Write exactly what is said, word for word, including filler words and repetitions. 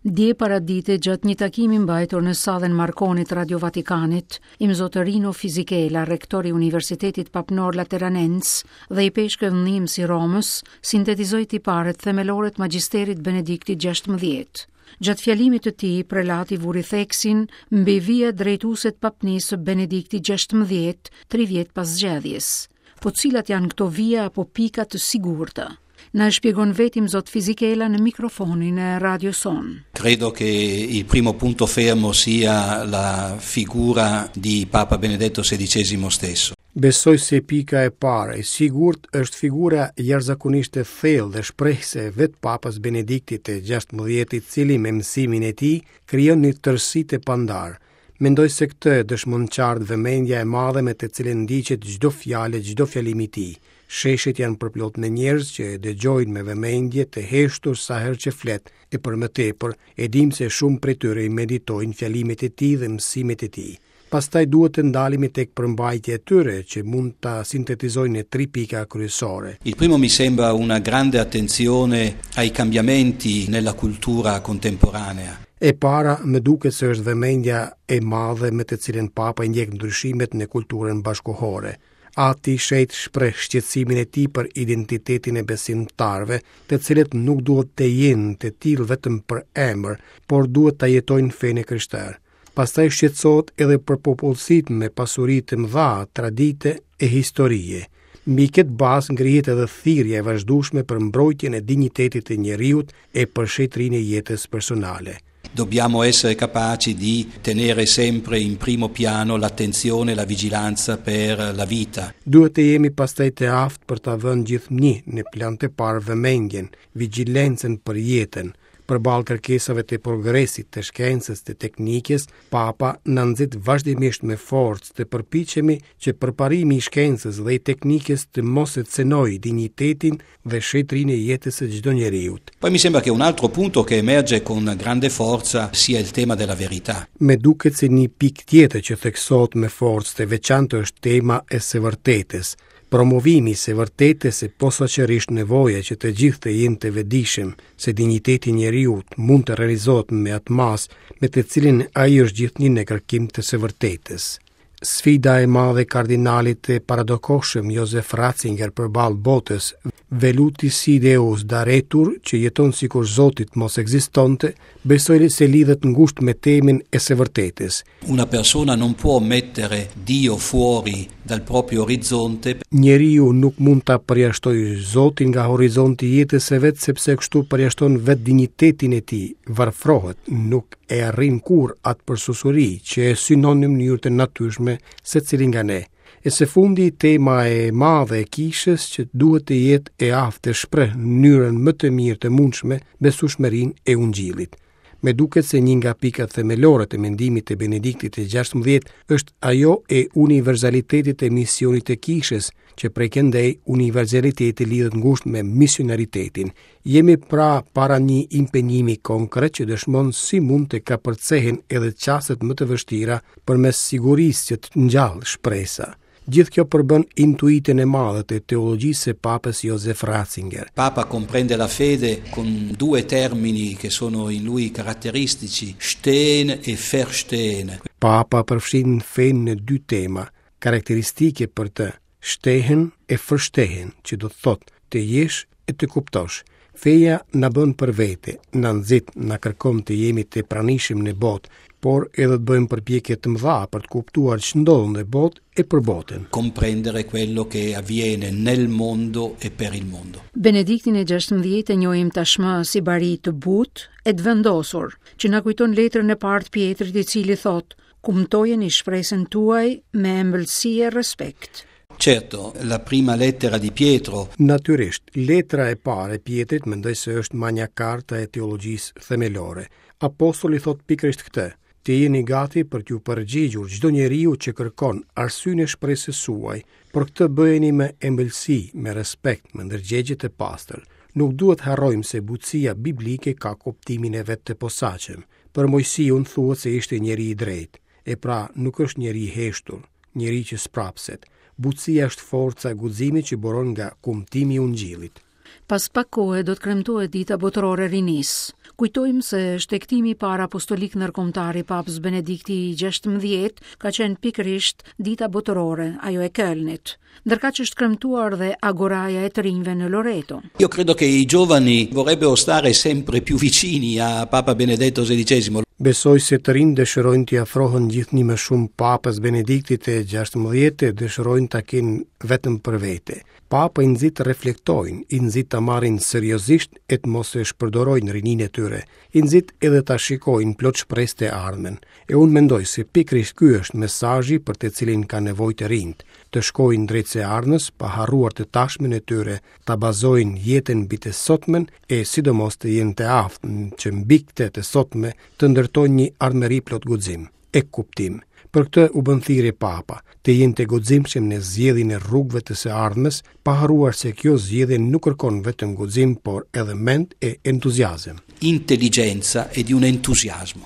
Dje paradite gjatë një takimi mbajtur në sallën Marconi të Radio Vatikanit, Imzot Rino Fisichella, rektor i Universitetit Papnor Lateranens dhe ipeshkëv ndihmës i Romës, sintetizoi tiparet themelore të magjisterit Benediktit gjashtëmbëdhjetë. Gjatë fjalimit të tij, prelati vuri theksin mbi vijat drejtuese të papnisë së Benediktit gjashtëmbëdhjetë, tri vjet pas zgjedhjes. Po cilat janë këto vija apo pika të sigurta? Na e shpjegon vetë Imzot Fisichella në mikrofonin e Radio Son. Credo che il primo punto fermo sia la figura di Papa Benedetto sedicesimo stesso. Besoj se pika e parë e sigurt është figura jashtëzakonisht e thellë dhe shprehëse e vetë Papës Benediktit të gjashtëmbëdhjetë, i cili me mësimin e tij krijon një tërësi të pandarë. Mendoj se këtë e dëshmon qartë vëmendja e madhe me të cilën ndiqet çdo fjalë e çdo fjalim i tij. Sheshet janë përplot me njerëz që e dëgjojnë me vëmendje të heshtur sa herë që flet, e për më tepër e dim se shumë prej tyre i meditojnë fjalimet e tij dhe mësimet e tij. Pastaj duhet të ndalemi tek përmbajtja e tyre që mund ta sintetizojnë në tri pika kryesore. Il primo mi sembra una grande attenzione ai cambiamenti nella cultura contemporanea. E para, më duket se është vëmendja e madhe me të cilën Papa i ndjek ndryshimet në kulturën bashkohore. Ati i Shenjtë shpreh shqetësimin e tij për identitetin e besimtarëve, të cilët nuk duhet të jenë të tillë vetëm për emër, por duhet ta jetojnë fenë e krishterë. Pastaj shqetësohet edhe për popullsitë me pasuri të mëdha, tradite e historie. Mbi këtë bazë ngrihet edhe thirrja e vazhdueshme për mbrojtjen e dinjitetit të njeriut e për shenjtërinë e jetës personale. Dobbiamo essere capaci di tenere sempre in primo piano l'attenzione e la vigilanza per la vita. Duhet të jemi pastaj të aftë për ta vënë gjithnjë në plan të parë vëmendjen, vigjilencën për jetën. Përballë kërkesave të progresit, të shkencës, të teknikës, Papa na nxit vazhdimisht me forcë të përpiqemi që përparimi i shkencës dhe i teknikës të mos e cenojë dinjitetin dhe shenjtërinë e jetës së çdo njeriu. Poi mi sembra che un altro punto che emerge con grande forza sia il tema della verità. Me duket se një pikë tjetër që theksohet me forcë të veçantë është tema e së vërtetës. Promovimi i së vërtetës e posaçërisht nevoja që të gjithë të jenë të vetëdijshëm se dinjiteti i njeriut mund të realizohet me atë masë me të cilin ai është gjithnjë në kërkim të së vërtetës. Sfida e madhe e kardinalit të paradokohshëm Josef Ratzinger përballë botës, veluti si Deus daretur, që jeton sikur Zotit mos ekzistonte, besoj se lidhet ngushtë me temën e së vërtetës. Una persona non può mettere Dio fuori dal proprio orizzonte. Njeriu nuk mund ta përjashtojë Zotin nga horizonti i jetës së vet, sepse kështu përjashton vetë dinjitetin e tij, varfrohet, nuk e arrin kurrë atë përsusuri që e synon në mënyrë të natyrshme secili nga ne. E së fundi, tema e madhe e kishës që duhet të jetë e aftë të shpreh në mënyrën më të mirë të mundshme besueshmërinë e Ungjillit. Me duket se një nga pikat themelore të mendimit të Benediktit të gjashtëmbëdhjetë është ajo e universalitetit të misionit të kishës, që prej këndej universaliteti lidhet ngushtë me misionaritetin. Jemi pra para një impenjimi konkret që dëshmon si mund të kapërcehen edhe çastet më të vështira përmes sigurisë që të ngjall shpresa. Gjithë kjo përbën intuitën e madhe të teologjisë së Papës Josef Ratzinger. Papa comprende la fede con due termini che sono in lui caratteristici, stehen e verstehen. Papa përfshin fenë në dy tema karakteristike për të, stehen e verstehen, që do të thotë të jesh e të kuptosh. Feja na bën për vete, na nxit, na kërkon të jemi të pranishëm në botë, por edhe të bëjmë përpjekje të mëdha për të kuptuar ç'ndodh në botë e për botën. Comprendere quello che avviene nel mondo e per il mondo. Benediktin e gjashtëmbëdhjetë e njohim tashmë si bari të butë e të vendosur, që na kujton letrën e parë të Pietrit, i cili thotë: Kumtojeni shpresën tuaj me ëmbëlsi e respekt. Certo, la prima lettera di Pietro. Natyrisht, letra e parë e Pietrit mendoj se është Magna Carta e teologjisë themelore. Apostoli thot pikërisht këtë: të jeni gati për t'ju përgjigjur çdo njeriu që kërkon arsyen e shpresës suaj, por këtë bëjeni me ëmbëlsi, me respekt, me ndërgjegje të pastër. Nuk duhet harrojmë se butësia biblike ka kuptimin e vet të posaçëm. Për Mojsiun thuhet se ishte njeri i drejtë, e pra nuk është njeri i heshtur, njeri që sprapset. Butësia është forca e guximit që buron nga kumtimi i Ungjillit. Pas pak kohe do të kremtohet Dita Botërore e Rinisë. Kujtojmë se shtegtimi i parë apostolik ndërkombëtar i Papës Benedikti i gjashtëmbëdhjetë ka qenë pikërisht Dita Botërore, ajo e Kölnit. Ndërkaq është kremtuar dhe Agoraja e të rinjve në Loreto. Io credo che i giovani vorrebbero stare sempre più vicini a Papa Benedetto sedicesimo. Besoj se të rinjtë dëshirojnë t'i afrohen gjithnjë më shumë Papës Benediktit të gjashtëmbëdhjetë, dëshirojnë ta kenë vetëm për vete. Papa i nxit të reflektojnë, i nxit ta marrin seriozisht e të mos e shpërdorojnë rininë e tyre, i nxit edhe ta shikojnë plot shpresë të ardhmen. E unë mendoj se pikërisht ky është mesazhi për të cilin ka nevojë të rinjtë, të shkojnë drejt së ardhmes pa harruar të tashmen e tyre, ta bazojnë jetën mbi të sotmen e sidomos të jenë të aftë që mbi këtë të sotme të ndërtojnë një ardhmëri plot guxim e kuptim. Për këtë u bën thirrje Papa, të jenë të guximshëm në zgjedhjen e rrugëve të së ardhmes, pa harruar se kjo zgjedhje nuk kërkon vetëm guxim, por edhe mend e entuziazëm. Intelligenza e di un entusiasmo.